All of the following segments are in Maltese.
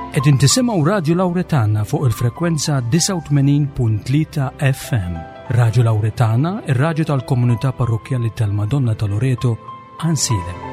Qegħdin tisimgħu Radju Lawretana fuq il-frekwenza 89.3 FM. Radju Lawretana, ir-radju tal-komunità parrokkjali tal-Madonna ta' Loreto, Ansilem.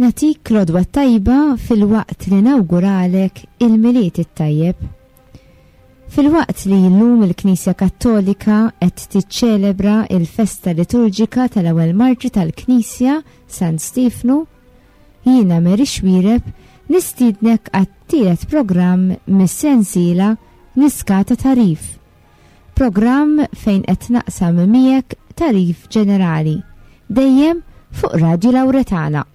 Natik l-odwa tajba fil-waqt li nawguralek il-miliet it-tajjeb. Filwaqt li llum il-Knisja Kattolika qed tiċċelebra il-festa liturġika tal-ewwel martri tal-Knisja San Stiefnu, jiena Mary Xuereb nistiednek għat-tielet programm mis-sensiela Niskata Tagħrif. Programm fejn qed naqsam miegħek tagħrif ġenerali, dejjem fuq Radju Lawretana.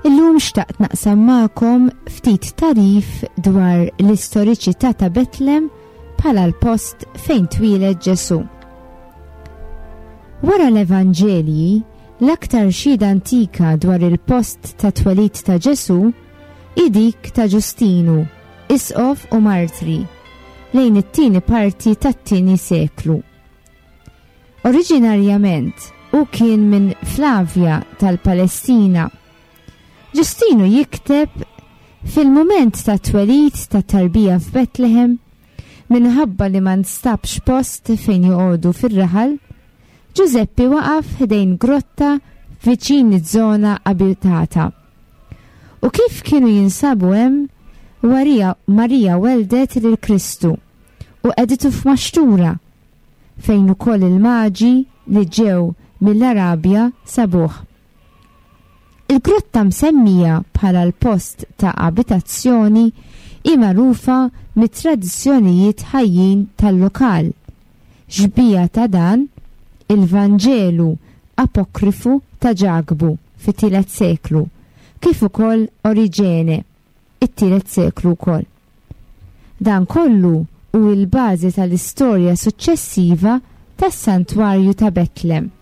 Illum xtaqt naqsam magħkom ftit tagħrif dwar l-istoriċità ta' Betlem bħala l-post fejn twieled Ġesù. Wara l-Evanġelji, L-aktar xhieda antika dwar il-post tat-twelid ta' Ġesù hi dik ta' Ġustinu, isqof u martri, lejn it-tieni parti tat-tieni seklu. Oriġinarjament, hu kien minn Flavia tal-Palestina. Ġustinu jikteb Fil-mument tat-twelid tat-tarbija f'Betlehem, minħabba li ma nstabx post fejn joqogħdu fir-raħal, Ġużeppi waqaf ħdejn grotta viċin iż-żona abitata. U kif kienu jinsabu hemm, Warija, Marija welldet lil Kristu u qegħditu f'maxtura, fejn ukoll il-Maġi li ġew mill-Arabja sabuh. Il-grotta msemmija bħala l-post ta' abitazzjoni hi magħrufa mit-tradizzjonijiet ħajjin tal-lokal. Xbieha ta' dan, il-Vanġelu apokrifu ta' Ġakbu fit-tielet seklu, kif ukoll Oriġene, it-tielet seklu wkoll. Dan kollu hu l-bażi tal-istorja suċċessiva tas-Santwarju ta' Betlem.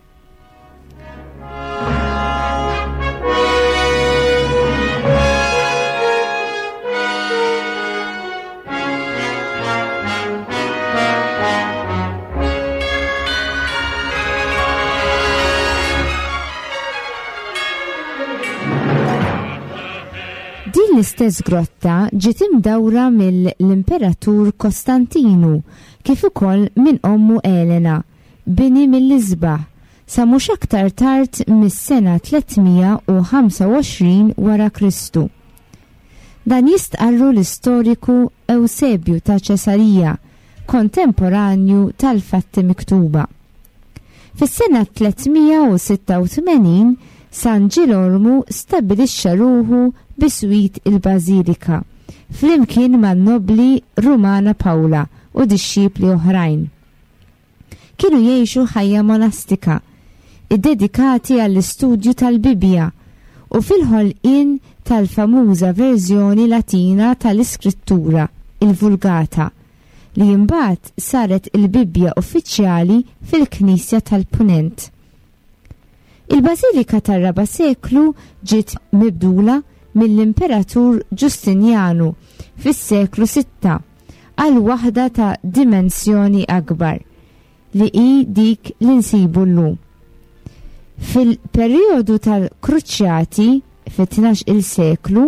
Din l-istess grotta ġiet imdawra mill-Imperatur Kostantinu kif ukoll minn ommu Elena, bini mill-isbaħ, sa mhux aktar tard mis-sena 325 wara Kristu. Dan jistqarru l-istoriku Ewsebju ta' Ċesarija, kontemporanju tal-fatti miktuba. Fis-sena 386 San Ġilormu stabbilixxa ruħu biswit il-bażilika, flimkien man-nobbli Rumana Pawla u dixxipli oħrajn. Kienu jgħixu ħajja monastika, iddedikati għall-istudju tal-Bibbja u fil-ħolqien tal-famuża verżjoni Latina tal-Iskrittura, il-Vulgata, li imbagħad saret il-Bibbja uffiċjali fil-Knisja tal-Punent. Il-bażilika tar-raba' seklu ġiet mibdula mill-Imperatur Ġustinjanu fis-seklu sitta għal waħda ta' dimensjoni akbar, li hi dik li nsibu llum. Fil-perjodu tal-Kruċjati fit-tnax il seklu,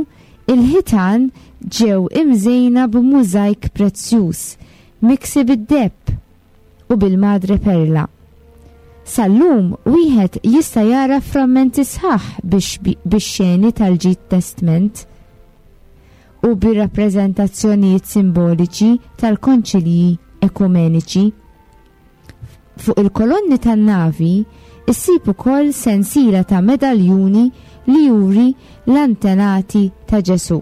il-ħitan ġew imżejna b'mużajk prezzjuż miksi bid-deheb u bil-madre perla. Sal-lum wieħed jista' jara frammenti sħaħ bix-xeni tal-Ġid Testment u bir-rappreżentazzjonijiet simboliċi tal-konċilji ekumeniċi. Fuq il-kolonni tan-navi issib ukoll sensiela ta' medaljuni li juri l-antenati ta' Ġesù.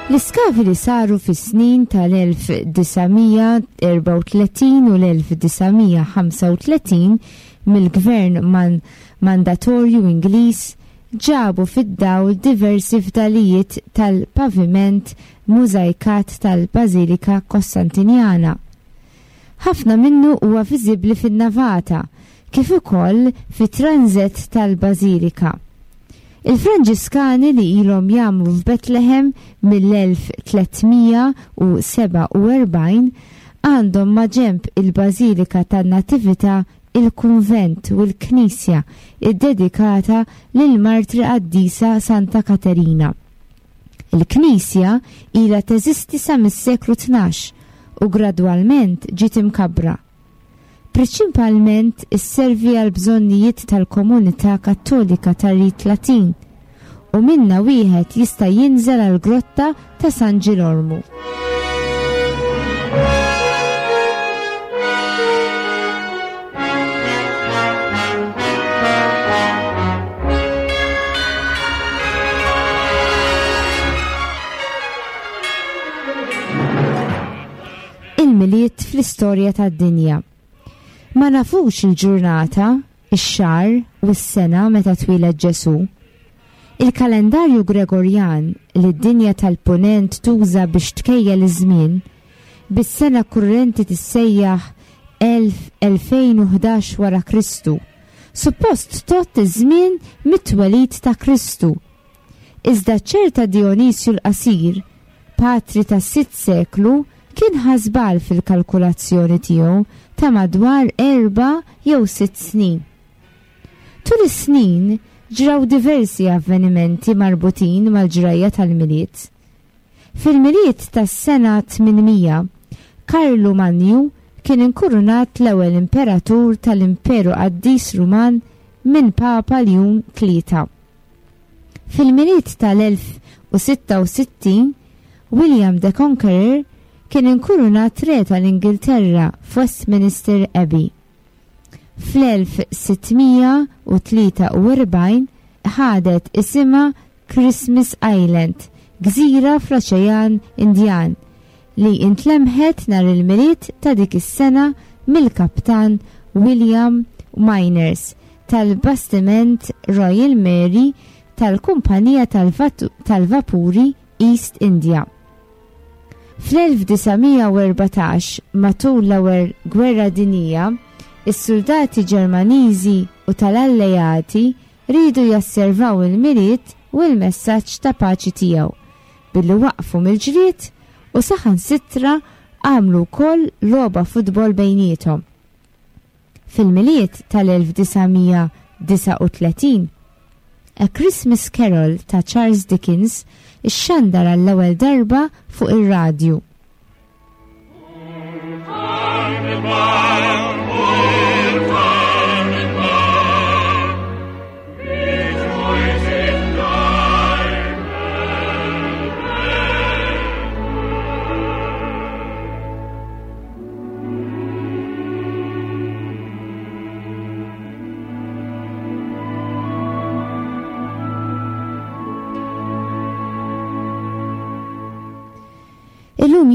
L-iskavi li saru fis-snin tal-1934 u l-1935 mill-gvern man mandatorju Ingliż ġabu fid-dawl diversi fdalijiet tal-paviment mużajkat tal-Bażilika Kostantinjana. Ħafna minnu huwa viżibbli fin-navata, kif ukoll fit-tranżett tal-bażilika. Il-Franġiskani li ilhom jgħammru f'Betlehem mill-1347 għandhom maġenb il-Bażilika tan-Natività il-kunvent u l-knisja ddedikata lill-martri qaddisa Santa Katerina. Il-knisja ilha teżisti sa mis-seklu 12 u gradwalment ġiet imkabbra. Priċinpalment isservi għall-bżonnijiet tal-komunità Kattolika tar-Rit Latin u minnha wieħed jista' jinżel għall-Grotta ta' San Ġilormu. Il-Milied fl-istorja tad-dinja. Ma nafux il-ġurnata, ix-xahar u s-sena meta twieled Ġesù. Il-kalendarju Gregorjan li d-dinja tal-Punent tuża biex tkejjel iż-żmien, bis-sena kurrenti tissejjaħ 2011 wara Kristu, suppost tgħodd iż-żmien mit-twelid ta' Kristu. Iżda ċerta Dijonisju l-Qasir, patri tas-sitt seklu, kien ħa żball fil-kalkulazzjoni tiegħu ta' madwar erba' jew sitt snin. Tul is-snin ġraw diversi avvenimenti marbutin mal-ġrajja tal-Milied. Fil-Milied tas-sena 800, Karlu Manju kien inkurunat l-ewwel imperatur tal-Imperu Qaddis Ruman minn Papa Ljun Tlieta. Fil-Milied tal-1066, William the Conqueror kien inkurunat Re tal-Ingilterra f'Westminster Abbey. Fl-1643 ħadet isimha Christmas Island, gżira fl-Oċean Indjan, li intlemħet nhar il-Milied ta' dik is-sena mill-Kaptan William Myners tal-bastiment Royal Mary tal-kumpanija tal-vapuri East India. Fl-1914, matul l-Ewwel Gwerra Dinjija, is-suldati Ġermaniżi u tal-Alleati riedu jasservaw il-Milied u l-messaġġ ta' paċi tiegħu billi waqfu mill-ġlied u saħansitra għamlu wkoll logħba futbol bejniethom. Fil-Milied tal-1939, A Christmas Carol ta' Charles Dickens ixxandar għall-ewwel darba fuq ir-radju.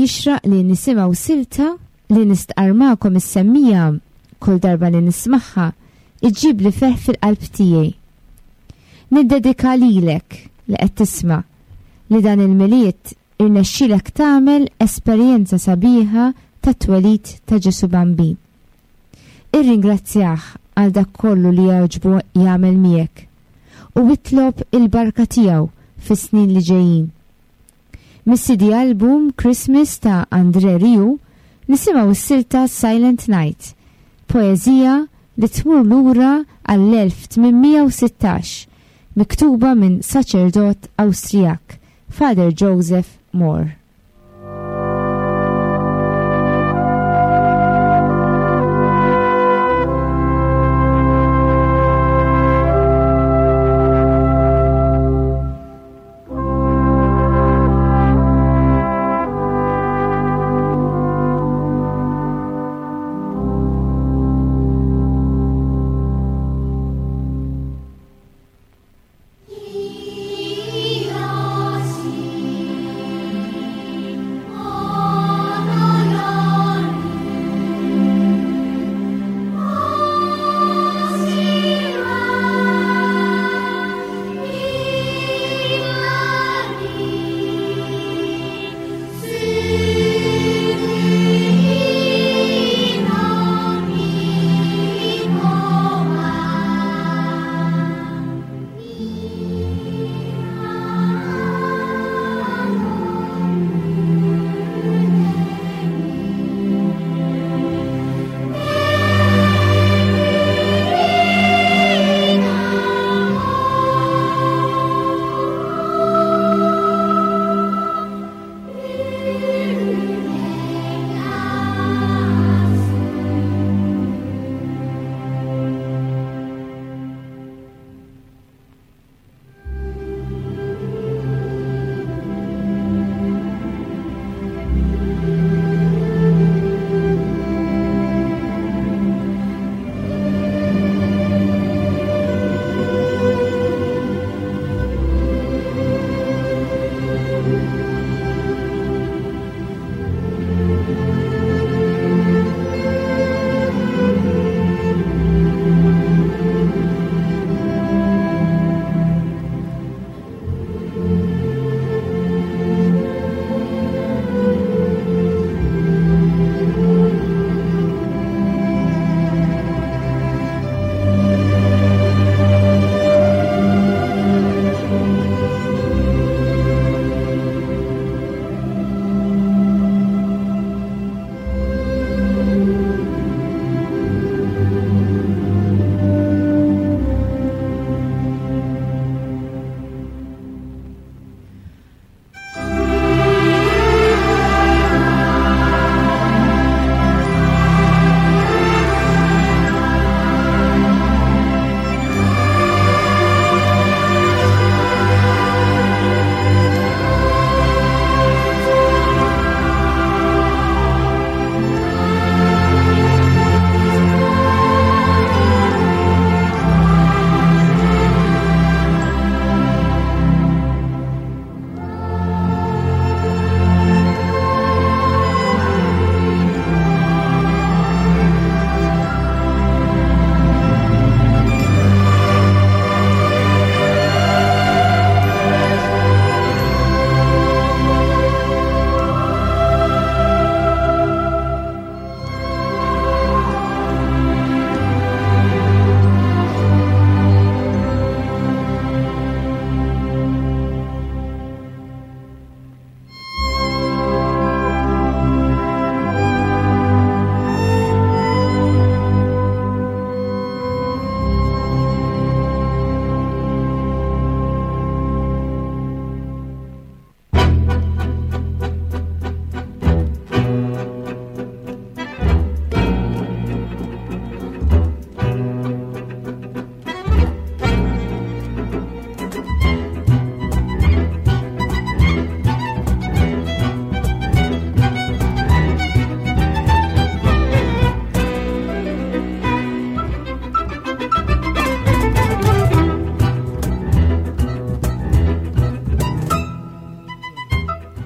jixraq li nisimgħu silta li nistqarr magħkom is-semmija kull darba li nismagħha iġġibli ferħ fil-qalb tiegħi. Niddedika lilek li qed tisma' li dan il-Milied irnexxielek tagħmel esperjenza sabiħa tat-twelid ta' Ġesù Bambin. Irringrazzjah għal dak kollu li jogħġbu jagħmel miegħek u itlob il-barka tiegħu fis-snin li ġejjin. Mis-CD album Christmas ta' André Rieu nisimgħu s-silta Silent Night, poeżija li tmur lura għall-1816, miktuba minn saċerdot Awstrijak, Father Joseph Mohr.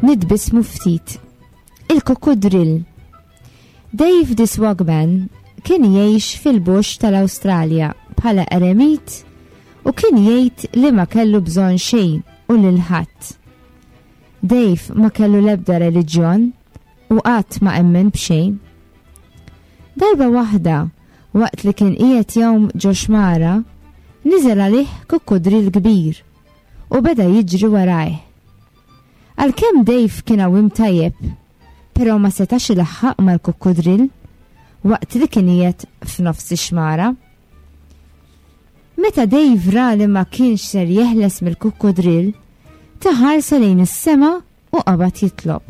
Nitbissmu ftit. Il-kukkudrill. Dave the Swagman kien jgħix fil-bush tal-Awstralja bħala eremit u kien jgħid li ma kellu bżonn xejn u lil ħadd. Dave ma kellu l-ebda reliġjon u qatt ma emmen b'xejn. Darba waħda, waqt li kien qiegħed jgħum ġo xmara, niżel għalih kukkudril kbir u beda jiġri warajh. Għalkemm Dave kien għawiem tajjeb, però ma setax ilaħħaq mal-kukkudrill waqt li kien qiegħed f'nofs ix-xmara. Meta Dave ra li ma kienx ser jeħles mill-kukkudrill, ta ħarsa lejn is-sema u qabad jitlob.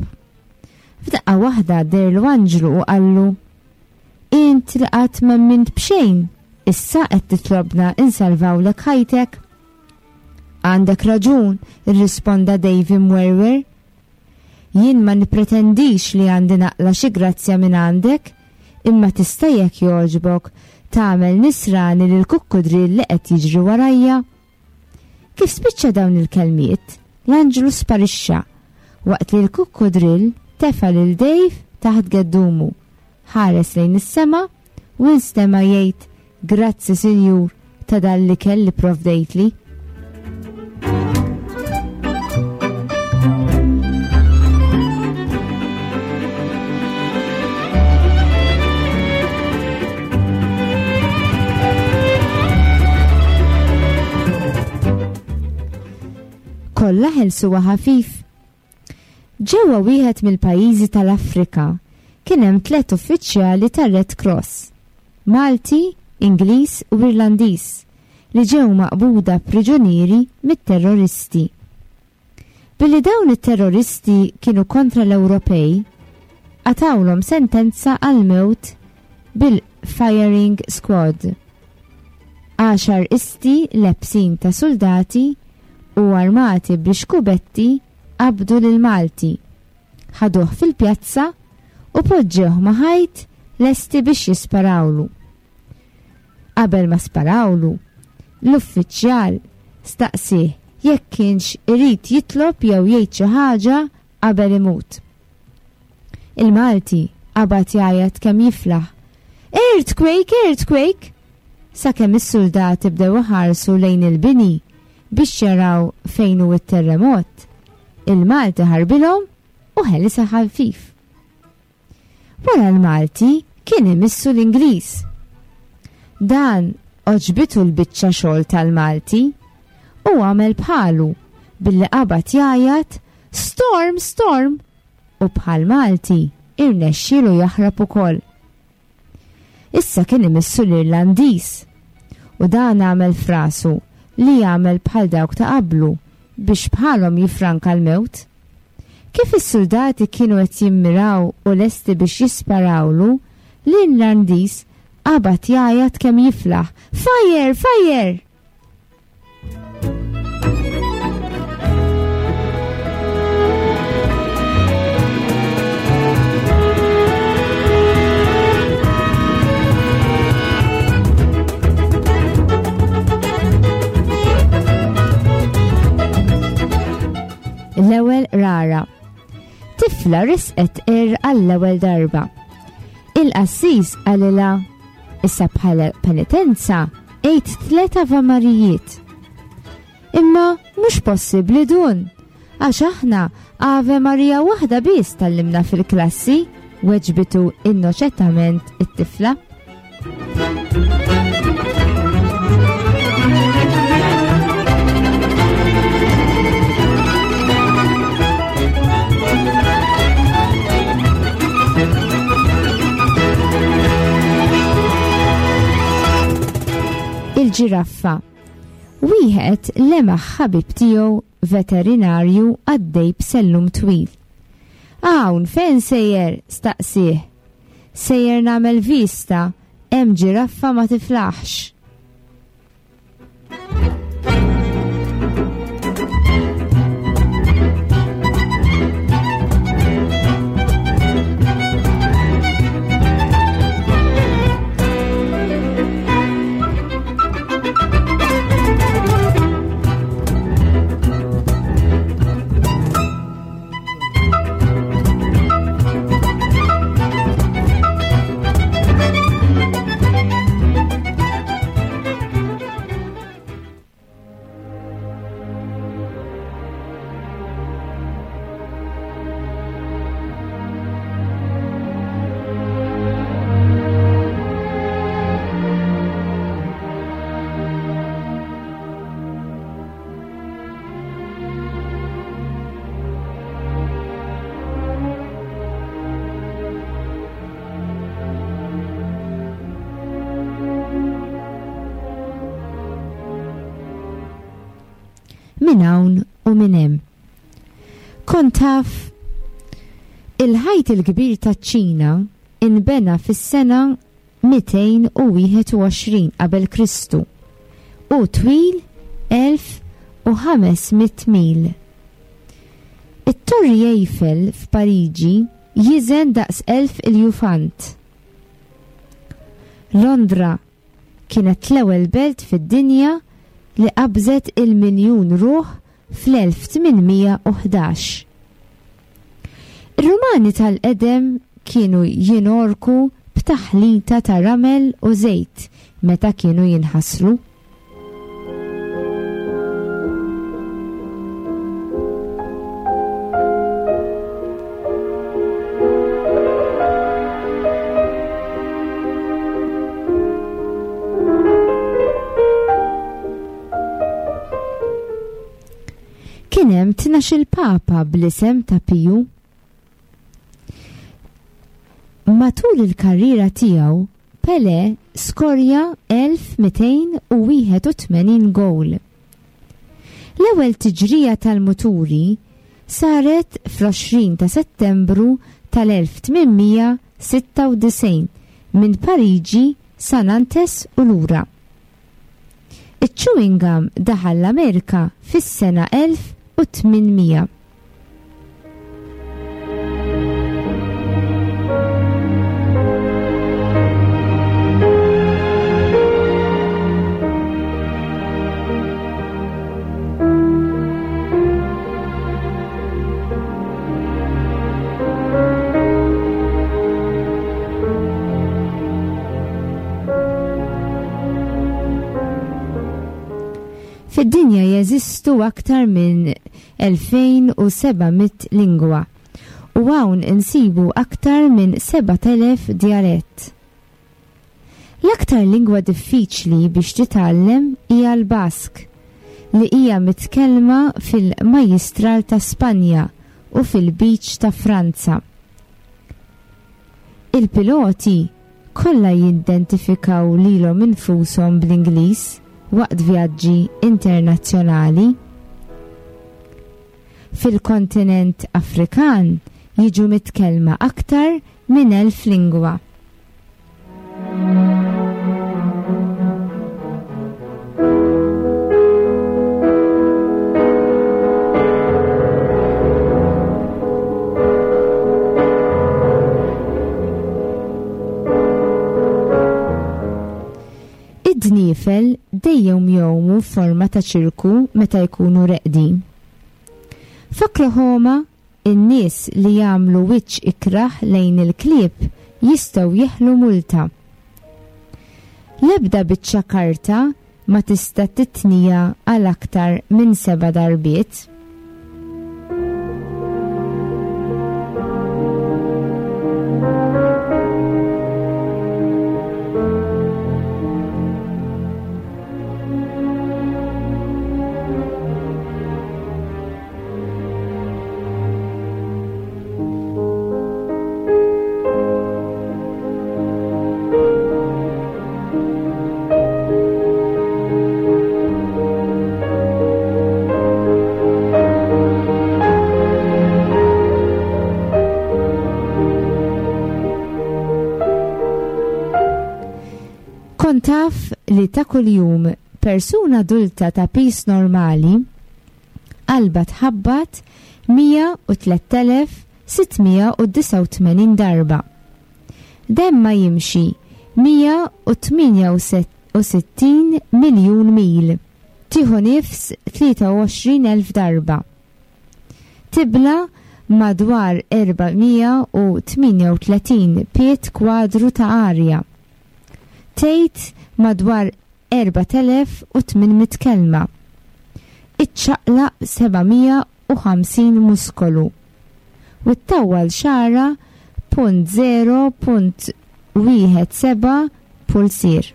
F'daqqa waħda deherlu anġlu u qallu, Int li qatt m'emmint b'xejn, issa qed titlobna nsalvawlek ħajtek? Għandek raġun, irrisponda Dave imwerwer. Jien ma nippretendix li għandi naqla' xi grazzja minn għandek, imma tista' jekk jogħġbok tagħmel nisrani lill-kukkudrill li qed jiġri warajja? Kif spiċċa dawn il-kelmiet, l-anġlu sparixxa, waqt li l-kukkudrill tefa' lil Dave taħt geddumu, ħares lejn is-sema u nstema' jgħid Grazzi Sinjur ta' dan l-ikel li provdejtli. Kollha ħelsuha ħafif. Ġewwa wieħed mill-pajjiżi tal-Afrika kien hemm tlett uffiċjali tar-Red Cross, Malti, Ingliż u Irlandiż, li ġew maqbuda priġunieri mit-terroristi. Billi dawn it-terroristi kienu kontra l-Ewropej, qatgħulhom sentenza għall-mewt bil-firing squad. Għaxar isti lebsin ta' suldati u armati bl-ixkubetti qabdu lil Malti, ħaduh fil-pjazza u poġġewh ma' ħajt lesti biex jisparawlu. Qabel ma sparawlu, l-uffiċjal staqsieh jekk kienx irid jitlob jew jgħid xi ħaġa qabel imut. Il-Malti qabad jgħajjat kemm jiflaħ, Earthquake! Earthquake! sakemm is-suldati bdew iħarsu lejn il-bini biex jaraw fejn hu t-terremot. Il-Malti ħarbilhom u ħelisha ħafif. Wara l-Malti kien imissu l-Ingliż. Dan għoġbitu l-biċċa xogħol tal-Malti u għamel bħalu billi qabad jgħajjat Storm, storm! u bħal Malti irnexxielu jaħrab ukoll. Issa kien imissu l-Irlandiż u dan għamel f'rasu li jagħmel bħal dawk ta' qablu biex bħalhom jiffranka l-mewt. Kif is-suldati kienu qed jimmiraw u lesti biex jisparawlu, l-Irlandiż qabad jgħajjat kemm jiflaħ, Fire! Fire! L-ewwel rara. Tifla risqet ir għall-ewwel darba. Il-qassis qalilha issa bħala penitenza għid tlet avamarijiet. Imma mhux possibbli dun, għax aħna Ave Maria waħda biss tallimna fil-klassi, weġbitu innoċentament it-tifla. Il-ġiraffa. Wieħed lemaħ ħabib tiegħu veterinarju għaddej b'sellum twil. Hawn fejn sejjer? staqsieh. Sejjer nagħmel vista, hemm ġiraffa ma tiflaħx. minn hawn u minn hemm. Kont taf? Il-Ħajt il-Kbir taċ-Ċina inbena fis-sena 221 qabel Kristu u twil 1500 mil. It-Torri Eiffel f'Pariġi jiżen daqs 1000 iljufant. Londra kienet l-ewwel belt fid-dinja li qabżet il-miljun ruħ fl-1811. Ir-Rumani tal-qedem kienu jingħorku b'taħlita ta' ramel u żejt meta kienu jinħaslu. Kien hemm 12-il papa bl-isem ta' Piju. Matul il-karriera tiegħu, Pelé skorja 1281 gowl. L-ewwel tiġrija tal-muturi saret fl-20 ta' Settembru tal-1896 minn Pariġi sa Nantes u lura. Iċ-chewing gum daħal l-Amerika fis-sena 1800. Fid-dinja jeżistu aktar minn 2,700 lingwa u hawn insibu aktar minn 7,000 djalett. L-aktar lingwa diffiċli biex titgħallem hija l-Bask, li hija mitkellma fil-Majjistral ta' Spanja u fil-Lbiċ ta' Franza. Il-piloti kollha jidentifikaw lilhom infushom bl-Ingliż waqt vjaġġi internazzjonali. Fil-kontinent Afrikan jiġu mitkellma aktar minn 1,000 lingwa. Id-dniefel dejjem jgħumu f'forma ta' ċirku meta jkunu reqdin. F'Oklahoma, in-nies li jagħmlu wiċċ ikrah lejn il-klieb jistgħu jeħlu multa. L-ebda biċċa karta ma tista' titnija għal aktar minn seba' darbiet. Kont taf li ta' kuljum persuna adulta ta' piż normali qalbha tħabbat 103,689 darba. Demma jimxi 168 miljun mil. Tieħu nifs 23,000 darba. Tibla' madwar 438 pied kwadru ta' arja. Tgħid madwar 4,800 kelma. Iċċaqlaq 750 muskolu u ttawwal xagħarha punt 0.17 pulzier.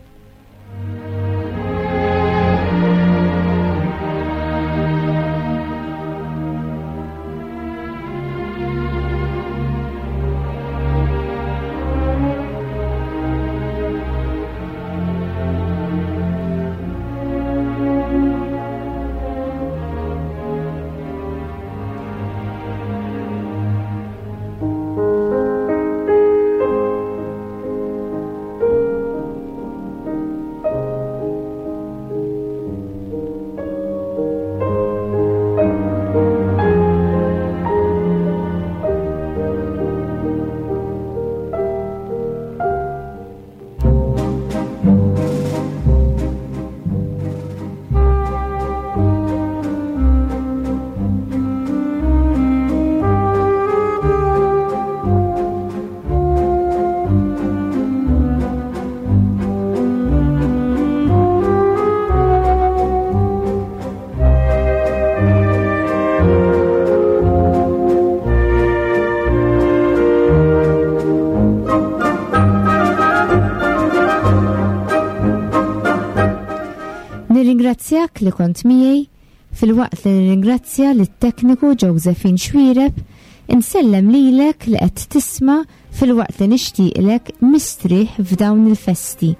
Nirringrazzjak li kont miegħi filwaqt li nirringrazzja lit-tekniku Josephine Xuereb, insellem lilek li qed tisma' filwaqt li nixtieqlek mistrieħ f'dawn il-festi.